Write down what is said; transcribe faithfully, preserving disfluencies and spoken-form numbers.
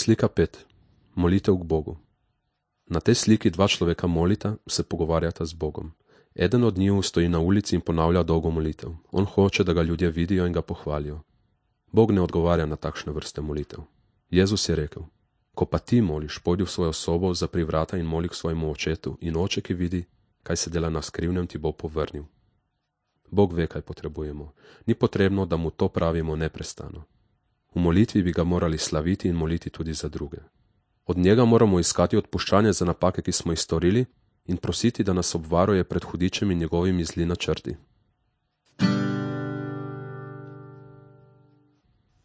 Slika pet. Molitev k Bogu. Na tej sliki dva človeka molita, se pogovarjata z Bogom. Eden od njiju stoji na ulici in ponavlja dolgo molitev. On hoče, da ga ljudje vidijo in ga pohvalijo. Bog ne odgovarja na takšne vrste molitev. Jezus je rekel: ko pa ti moliš, pojdi v svojo sobo, zapri vrata in moli k svojemu očetu, in oče, ki vidi, kaj se dela na skrivnem, ti bo povrnil. Bog ve, kaj potrebujemo. Ni potrebno, da mu to pravimo neprestano. V molitvi bi ga morali slaviti in moliti tudi za druge. Od njega moramo iskati odpuščanje za napake, ki smo jih storili, in prositi, da nas obvaruje pred hudičem in njegovimi zli načrti.